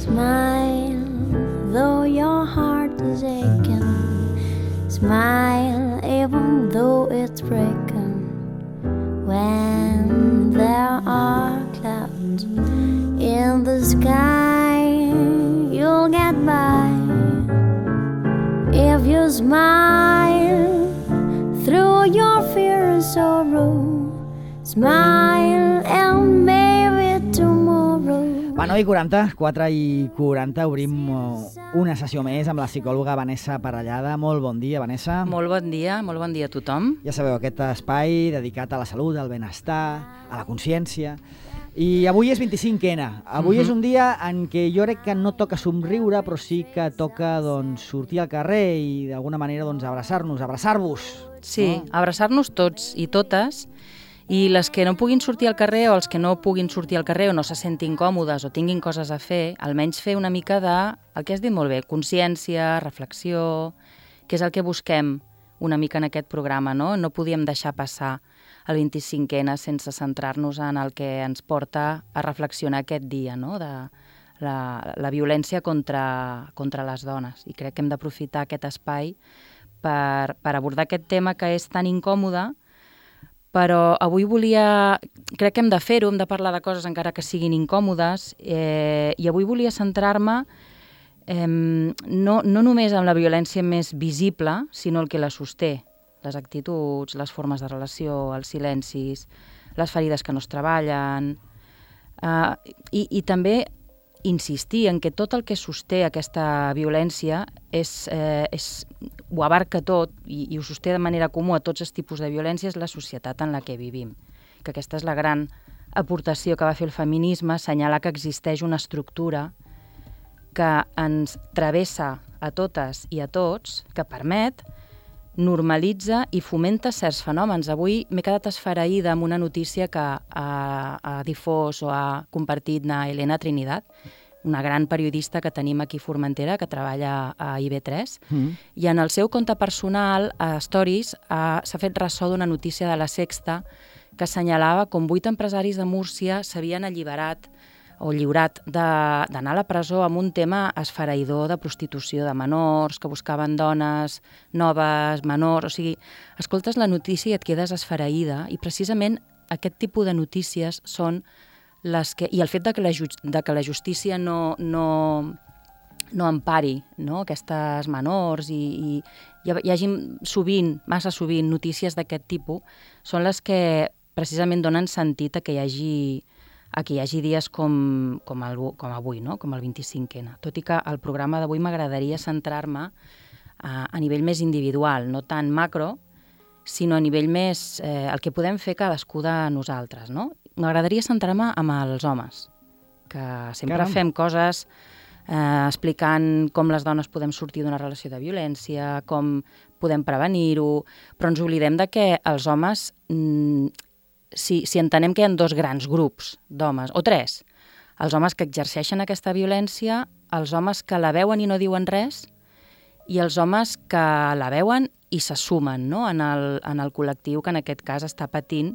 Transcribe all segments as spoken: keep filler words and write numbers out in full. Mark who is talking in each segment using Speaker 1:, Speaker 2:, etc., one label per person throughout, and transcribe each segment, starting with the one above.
Speaker 1: Smile, though your heart is aching. Smile, even though it's breaking. When there are clouds in the sky, you'll get by. If you smile through your fear and sorrow, smile and maybe tomorrow.
Speaker 2: Va, nou i quaranta, quatre i quaranta, obrim una sessió més amb la psicòloga Vanessa Parellada. Molt bon dia, Vanessa.
Speaker 3: Molt bon dia, molt bon dia a tothom.
Speaker 2: Ja sabeu, aquest espai dedicat a la salut, al benestar, a la consciència. I avui és vint-i-cinc ena. Avui uh-huh. és un dia en què jo crec que no toca somriure, però sí que toca doncs, sortir al carrer i d'alguna manera doncs, abraçar-nos, abraçar-vos.
Speaker 3: Sí,
Speaker 2: no?
Speaker 3: abraçar-nos tots i totes, i les que no puguin sortir al carrer o els que no puguin sortir al carrer o no se sentin còmodes o tinguin coses a fer, almenys fer una mica de, el que has dit molt bé, consciència, reflexió, que és el que busquem una mica en aquest programa, no? No podíem deixar passar el vint-i-cinc ena sense centrar-nos en el que ens porta a reflexionar aquest dia, no? De la, la violència contra, contra les dones. I crec que hem d'aprofitar aquest espai per, per abordar aquest tema que és tan incòmode, però avui volia, crec que hem de fer-ho, hem de parlar de coses encara que siguin incòmodes, eh, i avui volia centrar-me eh, no, no només en la violència més visible, sinó el que la sosté, les actituds, les formes de relació, els silencis, les ferides que no es treballen, eh, i, i també insistir en que tot el que sosté aquesta violència és, eh, és, ho abarca tot i, i ho sosté de manera comú a tots els tipus de violència, és la societat en la que vivim. Que aquesta és la gran aportació que va fer el feminisme, assenyalar que existeix una estructura que ens travessa a totes i a tots, que permet, normalitza i fomenta certs fenòmens. Avui m'he quedat esfereïda amb una notícia que ha, ha difós o ha compartit na Elena Trinidad, una gran periodista que tenim aquí a Formentera, que treballa a I V tres, mm. i en el seu compte personal, a Stories, s'ha fet ressò d'una notícia de La Sexta que assenyalava com vuit empresaris de Múrcia s'havien alliberat o lliurat d'anar a la presó amb un tema esfereïdor de prostitució de menors, que buscaven dones noves, menors... O sigui, escoltes la notícia i et quedes esfereïda, i precisament aquest tipus de notícies són les que... I el fet de que la, ju de que la justícia no, no, no empari, no? Aquestes menors i, i hi, hi hagi sovint, massa sovint, notícies d'aquest tipus, són les que precisament donen sentit a que hi hagi... a que hi hagi dies com, com, el, com avui, no? Com el vint-i-cinc ena. Tot i que el programa d'avui m'agradaria centrar-me a, a nivell més individual, no tant macro, sinó a nivell més eh, el que podem fer cadascú de nosaltres, no? M'agradaria centrar-me amb els homes, que sempre Caram. fem coses eh, explicant com les dones podem sortir d'una relació de violència, com podem prevenir-ho, però ens oblidem de que els homes... Mm, Si, si entenem que hi ha dos grans grups d'homes, o tres, els homes que exerceixen aquesta violència, els homes que la veuen i no diuen res, i els homes que la veuen i se sumen, no? en, el, en el col·lectiu que en aquest cas està patint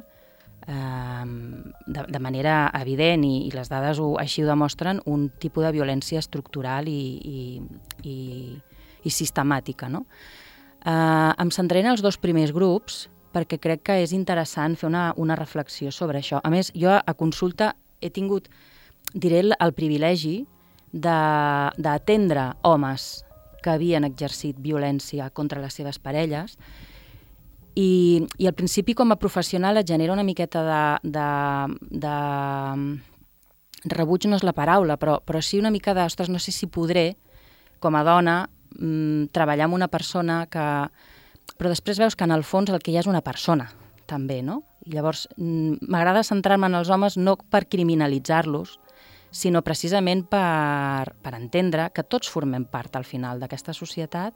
Speaker 3: eh, de, de manera evident, i, i les dades ho, així ho demostren, un tipus de violència estructural i, i, i, i sistemàtica. No? Eh, em centraré en els dos primers grups, perquè crec que és interessant fer una, una reflexió sobre això. A més, jo a consulta he tingut, diré, el, el privilegi d'atendre homes que havien exercit violència contra les seves parelles, i, i al principi com a professional et genera una miqueta de, de, de rebuig, no és la paraula, però, però sí una mica de, ostres, no sé si podré, com a dona, mmm, treballar amb una persona que... Però després veus que en el fons el que hi ha és una persona, també, no? I llavors m'agrada centrar-me en els homes no per criminalitzar-los, sinó precisament per, per entendre que tots formem part al final d'aquesta societat,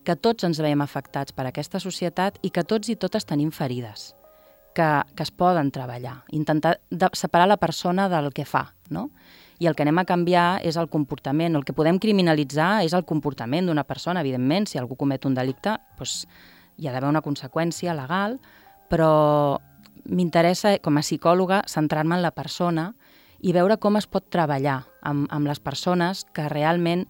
Speaker 3: que tots ens veiem afectats per aquesta societat i que tots i totes tenim ferides, que, que es poden treballar, intentar de, separar la persona del que fa, no? I el que anem a canviar és el comportament. El que podem criminalitzar és el comportament d'una persona, evidentment. Si algú comet un delicte, doncs hi ha d'haver una conseqüència legal, però m'interessa, com a psicòloga, centrar-me en la persona i veure com es pot treballar amb, amb les persones que realment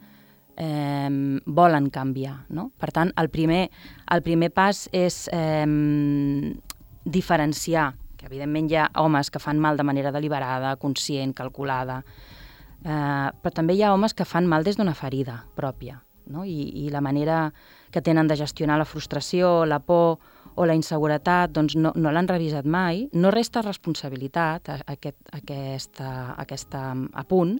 Speaker 3: eh, volen canviar. No? Per tant, el primer, el primer pas és eh, diferenciar, que evidentment hi ha homes que fan mal de manera deliberada, conscient, calculada, eh, però també hi ha homes que fan mal des d'una ferida pròpia, no? I, i la manera que tenen de gestionar la frustració, la por o la inseguretat, doncs no, no l'han revisat mai. No resta responsabilitat a, a aquest, a aquesta, a aquesta apunt,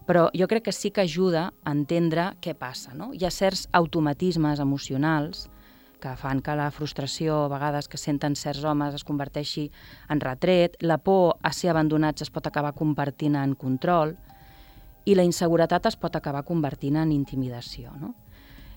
Speaker 3: però jo crec que sí que ajuda a entendre què passa. No? Hi ha certs automatismes emocionals que fan que la frustració, a vegades que senten certs homes, es converteixi en retret, la por a ser abandonats es pot acabar convertint en control i la inseguretat es pot acabar convertint en intimidació. No?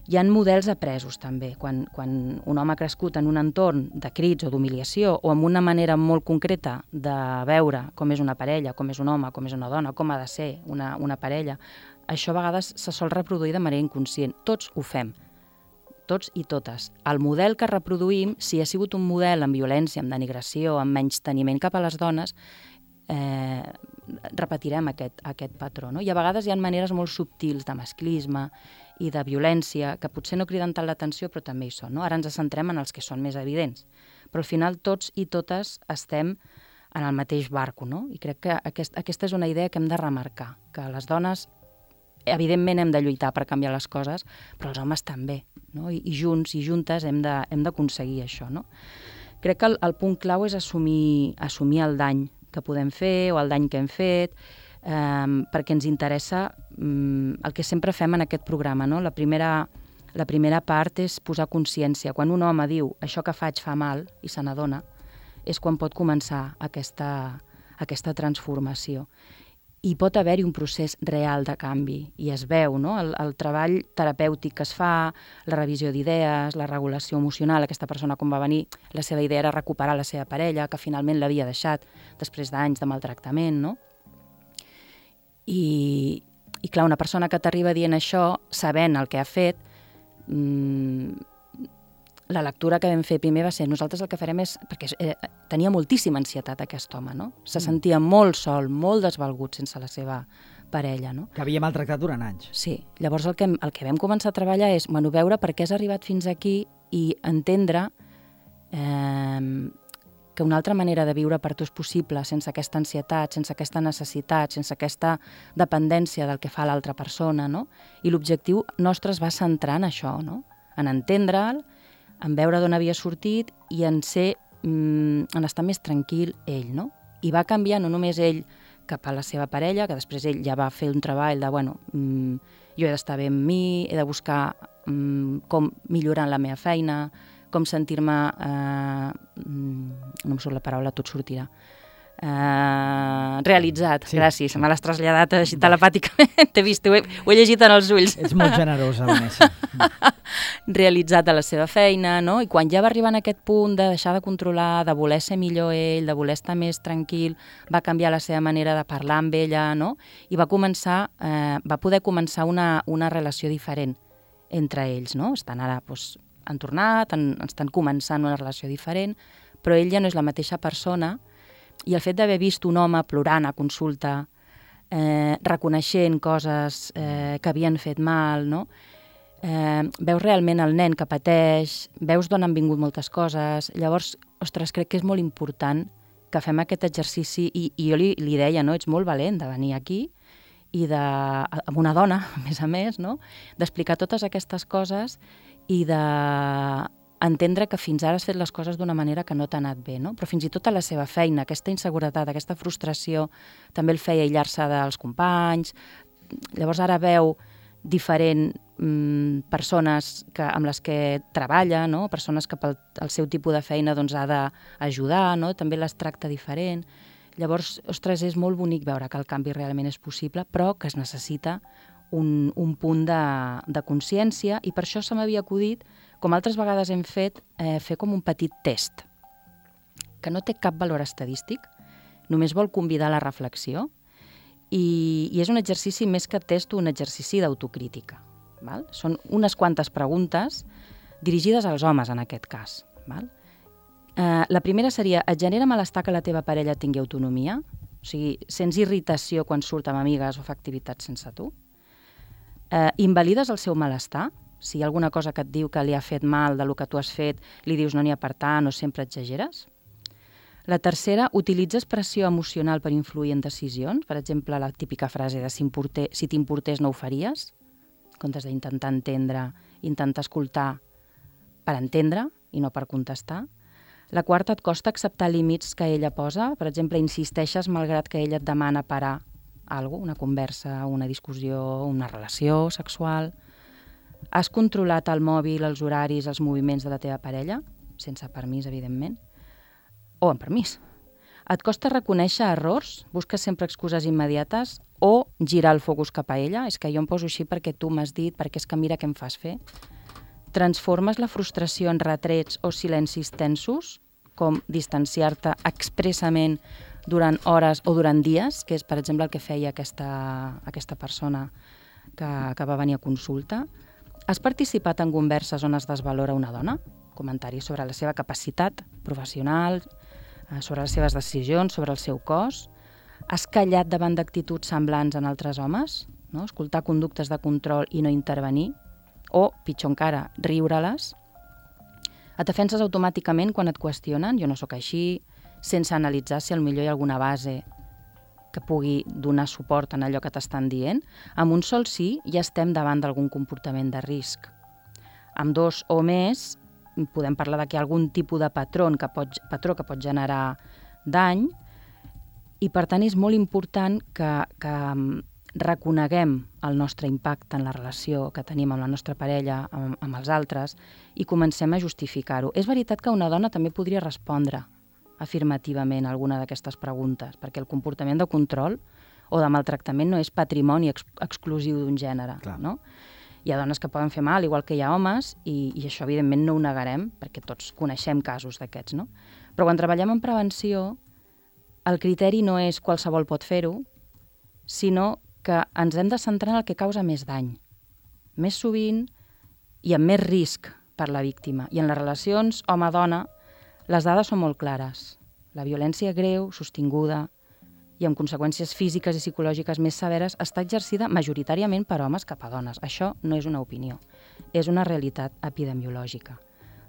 Speaker 3: Hi ha models apresos també, quan, quan un home ha crescut en un entorn de crits o d'humiliació o amb una manera molt concreta de veure com és una parella, com és un home, com és una dona, com ha de ser una, una parella, això a vegades se sol reproduir de manera inconscient. Tots ho fem, tots i totes. El model que reproduïm, si ha sigut un model amb violència, amb denigració, amb menysteniment cap a les dones, eh, repetirem aquest, aquest patró. No? I a vegades hi ha maneres molt subtils de masclisme i de violència que potser no criden tant l'atenció, però també hi són. No? Ara ens centrem en els que són més evidents. Però al final tots i totes estem en el mateix barco. No? I crec que aquest, aquesta és una idea que hem de remarcar, que les dones evidentment hem de lluitar per canviar les coses, però els homes també. No? I, i junts i juntes hem de, hem d'aconseguir això. No? Crec que el, el punt clau és assumir, assumir el dany que podem fer o el dany que hem fet, eh, perquè ens interessa eh, el que sempre fem en aquest programa. No? La, primera, la primera part és posar consciència. Quan un home diu això que faig fa mal i se n'adona, és quan pot començar aquesta, aquesta transformació. I pot haver-hi un procés real de canvi, i es veu, no? el, el treball terapèutic que es fa, la revisió d'idees, la regulació emocional, aquesta persona com va venir, la seva idea era recuperar la seva parella, que finalment l'havia deixat després d'anys de maltractament, no? I, i clar, una persona que t'arriba dient això, sabent el que ha fet, mmm, la lectura que vam fer primer va ser nosaltres el que farem és, perquè eh, tenia moltíssima ansietat aquest home, no? Se sentia molt sol, molt desvalgut sense la seva parella, no?
Speaker 2: Que havia maltractat durant anys.
Speaker 3: Sí, llavors el que, el que vam començar a treballar és, bueno, veure per què has arribat fins aquí i entendre eh, que una altra manera de viure per tu és possible sense aquesta ansietat, sense aquesta necessitat, sense aquesta dependència del que fa l'altra persona, no? I l'objectiu nostre es va centrar en això, no? En entendre'l, en veure d'on havia sortit i en ser, mm, en estar més tranquil ell, no? I va canviar no només ell cap a la seva parella, que després ell ja va fer un treball de, bueno, mm, jo he d'estar bé amb mi, he de buscar mm, com millorar la meva feina, com sentir-me, eh, mm, no em surt la paraula, tot sortirà, Uh, realitzat, sí, gràcies, sí. Me l'has traslladat així telepàticament, t'he vist, ho he, ho he llegit en els ulls.
Speaker 2: Ets molt generosa, Vanessa.
Speaker 3: Realitzat a la seva feina, no? I quan ja va arribar en aquest punt de deixar de controlar, de voler ser millor ell, de voler estar més tranquil, va canviar la seva manera de parlar amb ella, no? I va començar, eh, va poder començar una, una relació diferent entre ells, no? Estan ara, doncs, han tornat, han, estan començant una relació diferent, però ell ja no és la mateixa persona. I el fet d'haver vist un home plorant a consulta, eh, reconeixent coses eh, que havien fet mal, no? eh, veus realment el nen que pateix, veus d'on han vingut moltes coses. Llavors, ostres, crec que és molt important que fem aquest exercici, i, i jo li, li deia, no? Ets molt valent de venir aquí, i de, amb una dona, a més a més, no? D'explicar totes aquestes coses i de entendre que fins ara has fet les coses d'una manera que no t'ha anat bé, no? Però fins i tot a la seva feina, aquesta inseguretat, aquesta frustració, també el feia aïllar-se dels companys. Llavors ara veu diferent mm, persones que, amb les que treballa, no? Persones que pel el seu tipus de feina doncs, ha d'ajudar, no? També les tracta diferent. Llavors, ostres, és molt bonic veure que el canvi realment és possible, però que es necessita un, un punt de, de consciència, i per això se m'havia acudit, com altres vegades hem fet, eh, fer com un petit test, que no té cap valor estadístic, només vol convidar a la reflexió, i, i és un exercici més que test, un exercici d'autocrítica. Val? Són unes quantes preguntes dirigides als homes, en aquest cas. Val? Eh, la primera seria, et genera malestar que la teva parella tingui autonomia? O sigui, sents irritació quan surt amb amigues o fa activitats sense tu. Eh, invalides el seu malestar. Si hi ha alguna cosa que et diu que li ha fet mal del que tu has fet, li dius no n'hi ha per tant o sempre exageres. La tercera, utilitzes pressió emocional per influir en decisions. Per exemple, la típica frase de si t'importés no ho faries, en comptes d'intentar entendre, intentar escoltar per entendre i no per contestar. La quarta, et costa acceptar límits que ella posa. Per exemple, insisteixes malgrat que ella et demana parar alguna cosa, una conversa, una discussió, una relació sexual. Has controlat el mòbil, els horaris, els moviments de la teva parella, sense permís, evidentment, o amb permís. Et costa reconèixer errors, busques sempre excuses immediates o girar el focus cap a ella. És que jo em poso així perquè tu m'has dit, perquè és que mira què em fas fer. Transformes la frustració en retrets o silencis tensos, com distanciar-te expressament durant hores o durant dies, que és, per exemple, el que feia aquesta, aquesta persona que, que va venir a consulta. Has participat en converses on es desvalora una dona? Comentaris sobre la seva capacitat professional, sobre les seves decisions, sobre el seu cos. Has callat davant d'actituds semblants en altres homes? No? Escoltar conductes de control i no intervenir? O, pitjor encara, riure-les? Et defenses automàticament quan et qüestionen? Jo no sóc així, sense analitzar si potser hi ha alguna base que pugui donar suport en allò que t'estan dient. Amb un sol sí ja estem davant d'algun comportament de risc. Amb dos o més podem parlar de que hi ha algun tipus de patró que pot, patró que pot generar dany i, per tant, és molt important que, que reconeguem el nostre impacte en la relació que tenim amb la nostra parella, amb, amb els altres, i comencem a justificar-ho. És veritat que una dona també podria respondre afirmativament a alguna d'aquestes preguntes, perquè el comportament de control o de maltractament no és patrimoni ex exclusiu d'un gènere. No? Hi ha dones que poden fer mal, igual que hi ha homes, i, i això evidentment no ho negarem, perquè tots coneixem casos d'aquests. No? Però quan treballem en prevenció, el criteri no és qualsevol pot fer-ho, sinó que ens hem de centrar en el que causa més dany, més sovint i amb més risc per la víctima. I en les relacions home-dona, les dades són molt clares. La violència greu, sostinguda i amb conseqüències físiques i psicològiques més severes està exercida majoritàriament per homes cap a dones. Això no és una opinió, és una realitat epidemiològica.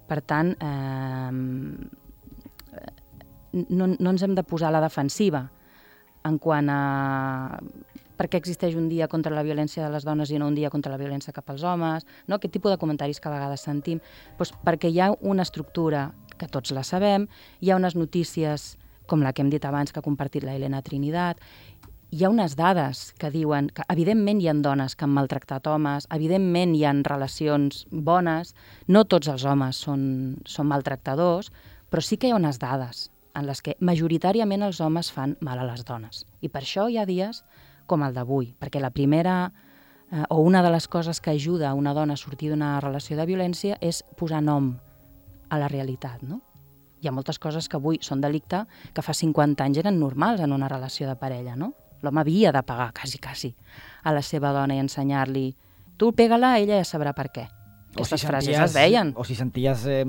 Speaker 3: Per tant, eh, no, no ens hem de posar a la defensiva en quant a per què existeix un dia contra la violència de les dones i no un dia contra la violència cap als homes, no? Aquest tipus de comentaris que a vegades sentim, doncs perquè hi ha una estructura que tots la sabem, hi ha unes notícies com la que hem dit abans que ha compartit la Elena Trinidad, hi ha unes dades que diuen que evidentment hi ha dones que han maltractat homes, evidentment hi ha relacions bones, no tots els homes són, són maltractadors, però sí que hi ha unes dades en les que majoritàriament els homes fan mal a les dones. I per això hi ha dies com el d'avui, perquè la primera eh, o una de les coses que ajuda a una dona a sortir d'una relació de violència és posar nom a la realitat, no? Hi ha moltes coses que avui són delicte que fa cinquanta anys eren normals en una relació de parella, no? L'home havia de pagar, quasi, quasi, a la seva dona i ensenyar-li tu pega-la, ella ja sabrà per què. Aquestes si frases es veien.
Speaker 2: O si senties eh,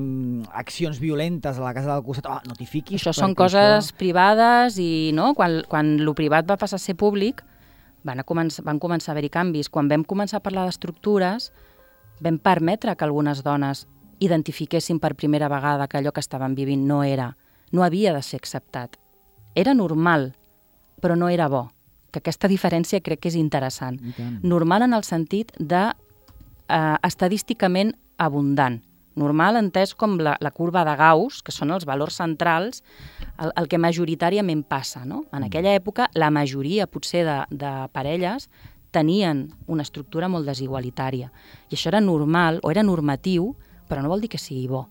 Speaker 2: accions violentes a la casa del costat, oh, no t'hi fiquis.
Speaker 3: Això són coses això... privades i no? quan, quan lo privat va passar a ser públic van, a començar, van començar a haver-hi canvis. Quan vam començar a parlar d'estructures vam permetre que algunes dones identifiquessin per primera vegada que allò que estaven vivint no era, no havia de ser acceptat. Era normal, però no era bo. Que aquesta diferència crec que és interessant. Normal en el sentit de eh, estadísticament abundant. Normal entès com la, la curva de Gauss, que són els valors centrals, el, el que majoritàriament passa. No? En aquella època, la majoria, potser, de, de parelles tenien una estructura molt desigualitària. I això era normal, o era normatiu, però no vol dir que sigui bo.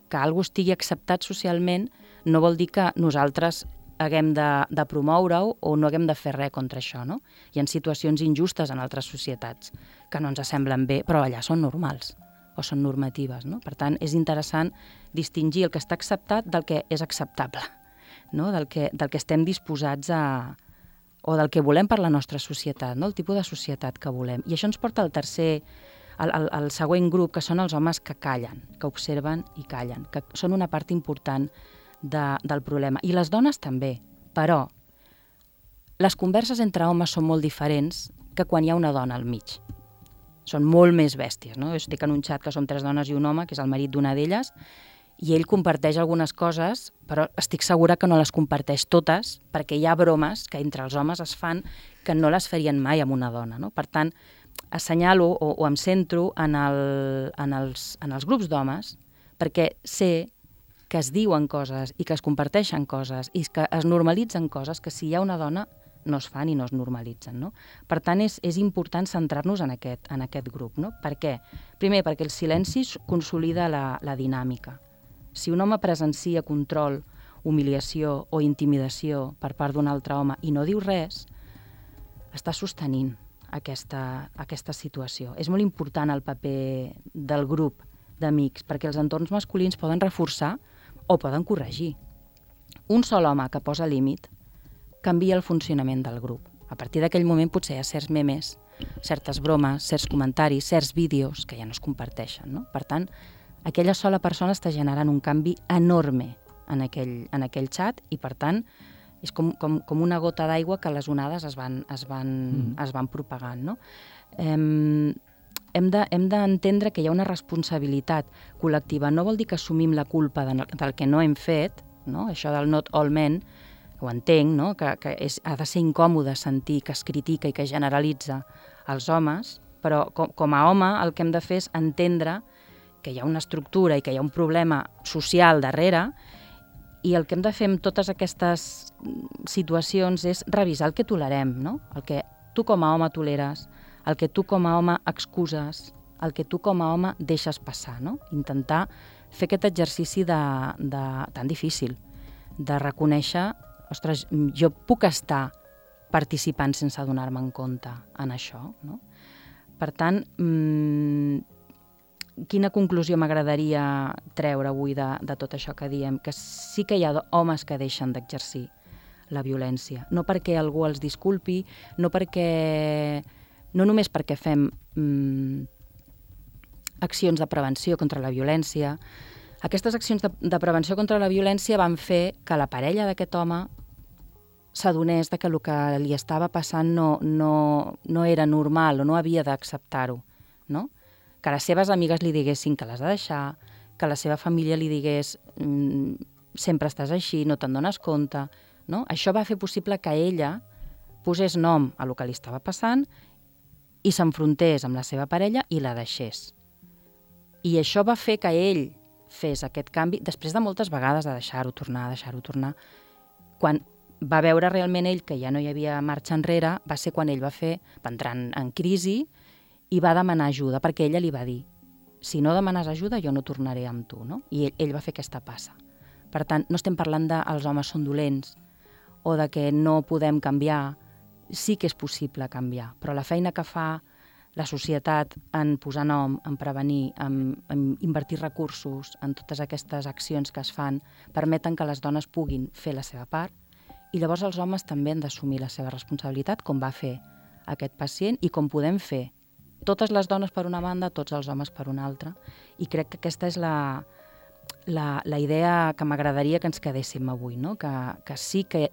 Speaker 3: Que algú estigui acceptat socialment no vol dir que nosaltres haguem de, de promoure-ho o no haguem de fer res contra això. No? Hi ha situacions injustes en altres societats que no ens semblen bé, però allà són normals o són normatives. No? Per tant, és interessant distingir el que està acceptat del que és acceptable, no? del, que, del que estem disposats a... o del que volem per la nostra societat, no? El tipus de societat que volem. I això ens porta al tercer... El, el, el següent grup, que són els homes que callen, que observen i callen, que són una part important de, del problema. I les dones també, però les converses entre homes són molt diferents que quan hi ha una dona al mig. Són molt més bèsties, no? Jo estic en un xat que som tres dones i un home, que és el marit d'una d'elles, i ell comparteix algunes coses, però estic segura que no les comparteix totes, perquè hi ha bromes que entre els homes es fan que no les farien mai amb una dona, no? Per tant, assenyalo o, o em centro en, el, en, els, en els grups d'homes, perquè sé que es diuen coses i que es comparteixen coses i que es normalitzen coses que si hi ha una dona no es fan i no es normalitzen, no? Per tant, és, és important centrar-nos en aquest, en aquest grup, no? Per què? Primer, perquè el silenci consolida la, la dinàmica. Si un home presencia control, humiliació o intimidació per part d'un altre home i no diu res, està sostenint aquesta, aquesta situació. És molt important el paper del grup d'amics, perquè els entorns masculins poden reforçar o poden corregir. Un sol home que posa límit canvia el funcionament del grup. A partir d'aquell moment potser hi ha certs memes, certes bromes, certs comentaris, certs vídeos que ja no es comparteixen, no? Per tant, aquella sola persona està generant un canvi enorme en aquell, en aquell xat i, per tant, és com, com, com una gota d'aigua que les onades es van, es van, mm. es van propagant, no? Hem, hem de, hem d'entendre que hi ha una responsabilitat col·lectiva. No vol dir que assumim la culpa de, del que no hem fet, no? Això del not all men, ho entenc, no? que, que és, ha de ser incòmode sentir que es critica i que es generalitza els homes, però com, com a home el que hem de fer és entendre que hi ha una estructura i que hi ha un problema social darrere i el que hem de fer amb totes aquestes situacions és revisar el que tolerem, no? El que tu com a home toleres, el que tu com a home excuses, el que tu com a home deixes passar, no? Intentar fer aquest exercici de, de, tan difícil, de reconèixer, ostres, jo puc estar participant sense adonar-me en compte en això, no? Per tant, mmm, quina conclusió m'agradaria treure avui de, de tot això que diem? Que sí que hi ha homes que deixen d'exercir la violència, no perquè algú els disculpi, no perquè, no només perquè fem mmm, accions de prevenció contra la violència. Aquestes accions de, de prevenció contra la violència van fer que la parella d'aquest home s'adonés de que el que li estava passant no, no, no era normal o no havia d'acceptar-ho, no? Que les seves amigues li diguessin que l'has de deixar, que la seva família li digués mmm, sempre estàs així, no te'n dones compte, no? Això va fer possible que ella posés nom a el que li estava passant i s'enfrontés amb la seva parella i la deixés. I això va fer que ell fes aquest canvi, després de moltes vegades de deixar-ho tornar, deixar-ho tornar. Quan va veure realment ell que ja no hi havia marxa enrere, va ser quan ell va fer, va entrar en, en crisi i va demanar ajuda, perquè ella li va dir, si no demanes ajuda jo no tornaré amb tu, no? I ell, ell va fer aquesta passa. Per tant, no estem parlant de els homes són dolents o de que no podem canviar. Sí que és possible canviar, però la feina que fa la societat en posar nom, en prevenir, en, en invertir recursos, en totes aquestes accions que es fan, permeten que les dones puguin fer la seva part i llavors els homes també han d'assumir la seva responsabilitat, com va fer aquest pacient i com podem fer totes les dones per una banda, tots els homes per una altra. I crec que aquesta és la, la, la idea que m'agradaria que ens quedéssim avui, no? Que, que sí que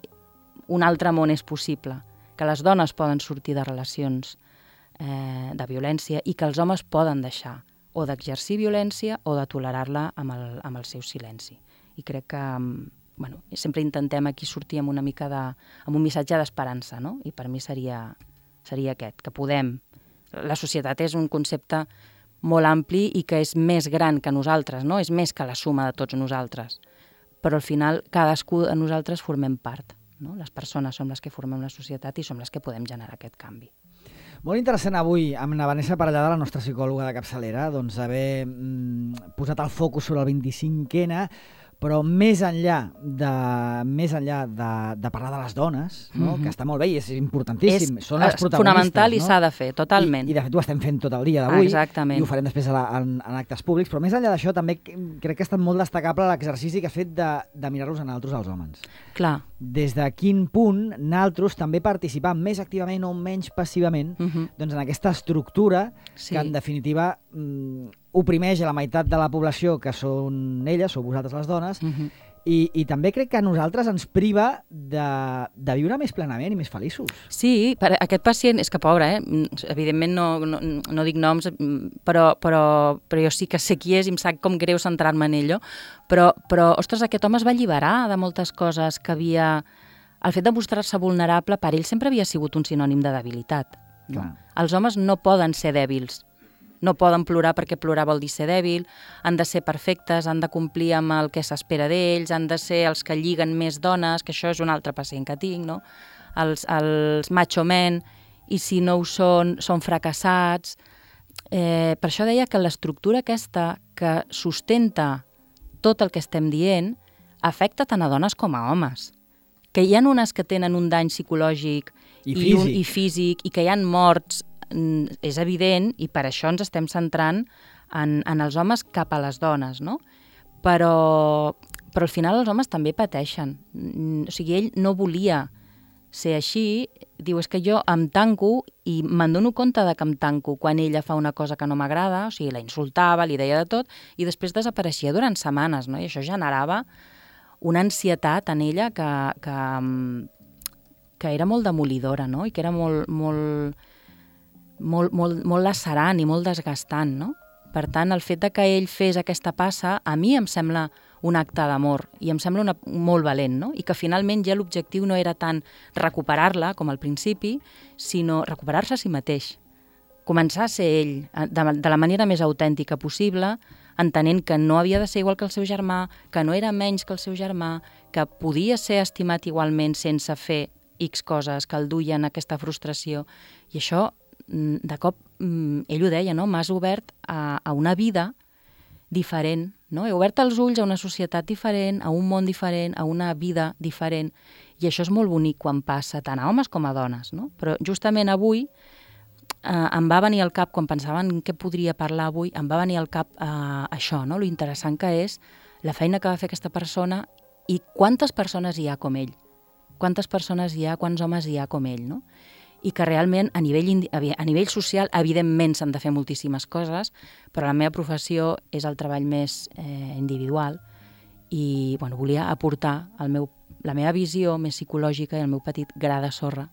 Speaker 3: un altre món és possible, que les dones poden sortir de relacions Eh, de violència i que els homes poden deixar o d'exercir violència o de tolerar-la amb el, amb el seu silenci. I crec que bueno, sempre intentem aquí sortir amb una mica de, amb un missatge d'esperança, no? I per mi seria, seria aquest, que podem. La societat és un concepte molt ampli i que és més gran que nosaltres, no? És més que la suma de tots nosaltres. Però al final cadascú de nosaltres formem part, no? Les persones som les que formem la societat i som les que podem generar aquest canvi.
Speaker 2: Molt interessant avui amb la Vanessa Parellada, la nostra psicòloga de capçalera, doncs haver mm, posat el focus sobre el vint-i-cinc ena, però més enllà de, més enllà de, de parlar de les dones, no? Mm-hmm. Que està molt bé i és importantíssim, és, són les protagonistes. És fonamental,
Speaker 3: no? I s'ha de fer, totalment.
Speaker 2: I, I de fet ho estem fent tot el dia d'avui,
Speaker 3: exactament.
Speaker 2: I ho farem després a la, en, en actes públics, però més enllà d'això també crec que ha estat molt destacable l'exercici que has fet de, de mirar-los a nosaltres, als homes.
Speaker 3: Clar.
Speaker 2: Des de quin punt nosaltres també participam més activament o menys passivament mm-hmm. doncs en aquesta estructura sí. Que en definitiva mm, oprimeix a la meitat de la població que són elles, sou vosaltres les dones, uh-huh. I, I també crec que a nosaltres ens priva de, de viure més plenament i més feliços.
Speaker 3: Sí, per aquest pacient, és que pobre, eh? Evidentment no, no, no dic noms, però, però, però jo sí que sé qui és i em sap com greu centrar-me en ell, però, però, ostres, aquest home es va alliberar de moltes coses que havia... El fet de mostrar-se vulnerable per ell sempre havia sigut un sinònim de debilitat. No?
Speaker 2: Clar.
Speaker 3: Els homes no poden ser dèbils. No poden plorar perquè plorar vol dir ser dèbil, han de ser perfectes, han de complir amb el que s'espera d'ells, han de ser els que lliguen més dones, que això és un altre pacient que tinc, no? Els, els macho men, i si no ho són, són fracassats. Eh, per això deia que l'estructura aquesta que sustenta tot el que estem dient afecta tant a dones com a homes. Que hi ha unes que tenen un dany psicològic
Speaker 2: I
Speaker 3: i,
Speaker 2: físic.
Speaker 3: un, i físic, i que hi ha morts, és evident, i per això ens estem centrant en, en els homes cap a les dones, no? Però, però al final els homes també pateixen. O sigui, ell no volia ser així, diu, és que jo em tanco i me'n dono compte de que em tanco quan ella fa una cosa que no m'agrada, o sigui, la insultava, li deia de tot, i després desapareixia durant setmanes, no? I això generava una ansietat en ella que, que, que era molt demolidora, no? I que era molt... molt Molt, molt, molt lacerant i molt desgastant, no? Per tant, el fet de que ell fes aquesta passa, a mi em sembla un acte d'amor i em sembla una, molt valent, no? I que finalment ja l'objectiu no era tant recuperar-la, com al principi, sinó recuperar-se a si mateix. Començar a ser ell de, de la manera més autèntica possible, entenent que no havia de ser igual que el seu germà, que no era menys que el seu germà, que podia ser estimat igualment sense fer X coses que el duien a aquesta frustració. I això, de cop, ell ho deia, no? M'has obert a, a una vida diferent, no? He obert els ulls a una societat diferent, a un món diferent, a una vida diferent, i això és molt bonic quan passa, tant a homes com a dones, no? Però justament avui eh, em va venir al cap, quan pensava en què podria parlar avui, em va venir al cap eh, això, no? Lo interessant que és la feina que va fer aquesta persona i quantes persones hi ha com ell, quantes persones hi ha, quants homes hi ha com ell, no? I que realment a nivell, a nivell social evidentment s'han de fer moltíssimes coses, però la meva professió és el treball més eh, individual i bueno, volia aportar el meu, la meva visió més psicològica i el meu petit gra de sorra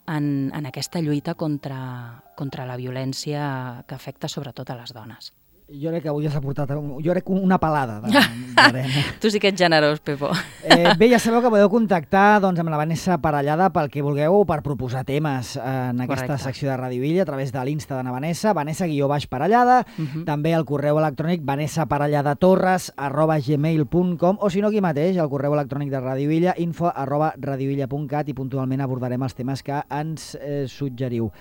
Speaker 3: en, en aquesta lluita contra, contra la violència que afecta sobretot a les dones.
Speaker 2: Jo crec que avui has aportat jo crec una palada d'arena.
Speaker 3: Tu sí que ets generós, Pepo.
Speaker 2: Eh, bé, ja sabeu que podeu contactar doncs, amb la Vanessa Parellada pel que vulgueu o per proposar temes en aquesta
Speaker 3: Correcte.
Speaker 2: secció de Radio Villa a través de l'Insta de na Vanessa, Vanessa guió baix Parellada, uh-huh. també el correu electrònic vanessaparelladatorres arroba gmail punt com o si no aquí mateix, el correu electrònic de Radio Villa, info arroba radiovilla punt cat i puntualment abordarem els temes que ens eh, suggeriu.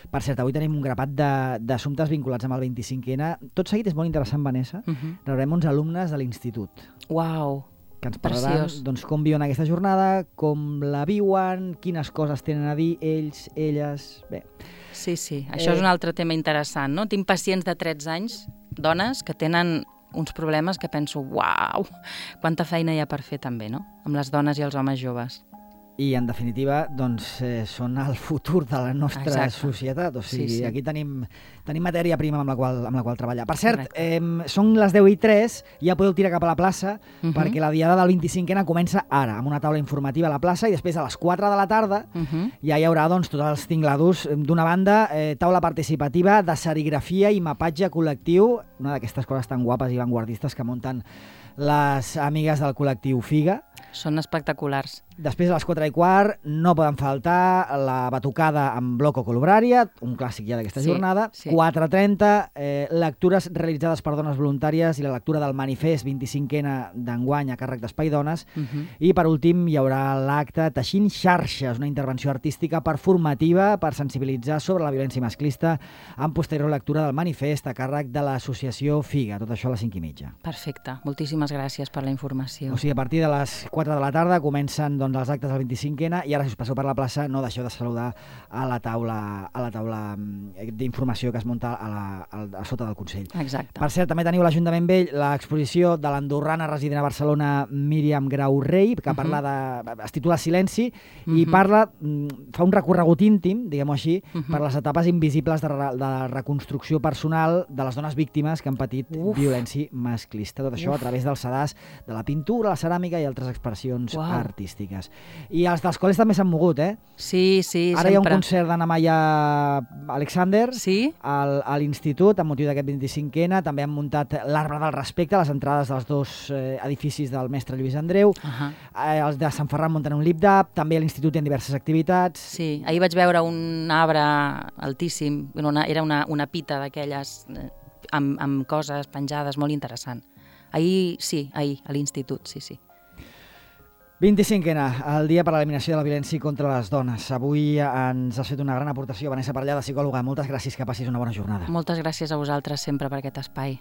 Speaker 2: Per cert, avui tenim un grapat d'assumptes vinculats amb el vint-i-cinc ena. Tot seguit és molt interessant, Vanessa.
Speaker 3: Uh-huh.
Speaker 2: Rebrem uns alumnes de l'institut.
Speaker 3: Uau,
Speaker 2: que ens parlaran
Speaker 3: preciós.
Speaker 2: Doncs, com viuen aquesta jornada, com la viuen, quines coses tenen a dir ells, elles... Bé.
Speaker 3: Sí, sí, això eh... és un altre tema interessant, no? Tinc pacients de tretze anys, dones, que tenen uns problemes que penso, uau, quanta feina hi ha per fer també, no? Amb les dones i els homes joves.
Speaker 2: I, en definitiva, doncs, eh, són el futur de la nostra Exacte. societat. O sigui, sí, sí. aquí tenim, tenim matèria prima amb la qual, amb la qual treballar. Per cert, eh, són les deu i tres, ja podeu tirar cap a la plaça, uh-huh. perquè la diada del vint-i-cinc ena comença ara, amb una taula informativa a la plaça, i després a les quatre de la tarda uh-huh. ja hi haurà doncs, tots els tinglados. D'una banda, eh, taula participativa de serigrafia i mapatge col·lectiu, una d'aquestes coses tan guapes i vanguardistes que munten les amigues del col·lectiu Figa.
Speaker 3: Són espectaculars.
Speaker 2: Després, a les quatre i quart, no poden faltar la batucada amb Bloco Colubrària, un clàssic ja d'aquesta
Speaker 3: sí,
Speaker 2: jornada.
Speaker 3: Sí.
Speaker 2: quatre i trenta, eh, lectures realitzades per dones voluntàries i la lectura del manifest vint-i-cinc ena d'enguany a càrrec d'Espai Dones. Uh-huh. I, per últim, hi haurà l'acte Teixint xarxes, una intervenció artística performativa per sensibilitzar sobre la violència masclista amb posterior lectura del manifest a càrrec de l'associació Figa. Tot això a les cinc i mitja.
Speaker 3: Perfecte. Moltíssimes gràcies per la informació.
Speaker 2: O sigui, a partir de les quatre de la tarda comencen doncs, doncs, els actes del vint-i-cinc ena i ara, si us passeu per la plaça, no deixeu de saludar a la taula, a la taula d'informació que es munta a, la, a, a sota del Consell.
Speaker 3: Exacte.
Speaker 2: Per cert, també teniu a l'Ajuntament Vell l'exposició de l'andorrana resident a Barcelona Míriam Grau Rei, que parla de, es titula Silenci, i
Speaker 3: Mhm.
Speaker 2: parla, fa un recorregut íntim, diguem-ho així,
Speaker 3: Mhm.
Speaker 2: per les etapes invisibles de, re- de reconstrucció personal de les dones víctimes que han patit
Speaker 3: Uf.
Speaker 2: violència masclista. Tot això
Speaker 3: Uf.
Speaker 2: a través del sedàs de la pintura, la ceràmica i altres expressions
Speaker 3: Uau.
Speaker 2: artístiques. I els dels col·les també s'han mogut, eh?
Speaker 3: Sí, sí,
Speaker 2: Ara hi ha un
Speaker 3: sempre.
Speaker 2: concert d'Anna Maia Alexander
Speaker 3: Sí?
Speaker 2: al, a l'Institut, amb motiu d'aquest vint-i-cinc ena. També han muntat l'Arbre del Respecte, a les entrades dels dos eh, edificis del mestre Lluís Andreu.
Speaker 3: Uh-huh.
Speaker 2: Eh, els de Sant Ferran munten un lip-dap. També a l'Institut hi ha diverses activitats.
Speaker 3: Sí, ahir vaig veure un arbre altíssim, una, era una, una pita d'aquelles eh, amb, amb coses penjades, molt interessant. Ahir, sí, ahir, a l'institut, sí, sí.
Speaker 2: vint-i-cinc ena, el dia per a l'eliminació de la violència contra les dones. Avui ens has fet una gran aportació, Vanessa Parellada, psicòloga. Moltes gràcies, que passis una bona jornada.
Speaker 3: Moltes gràcies a vosaltres sempre per aquest espai.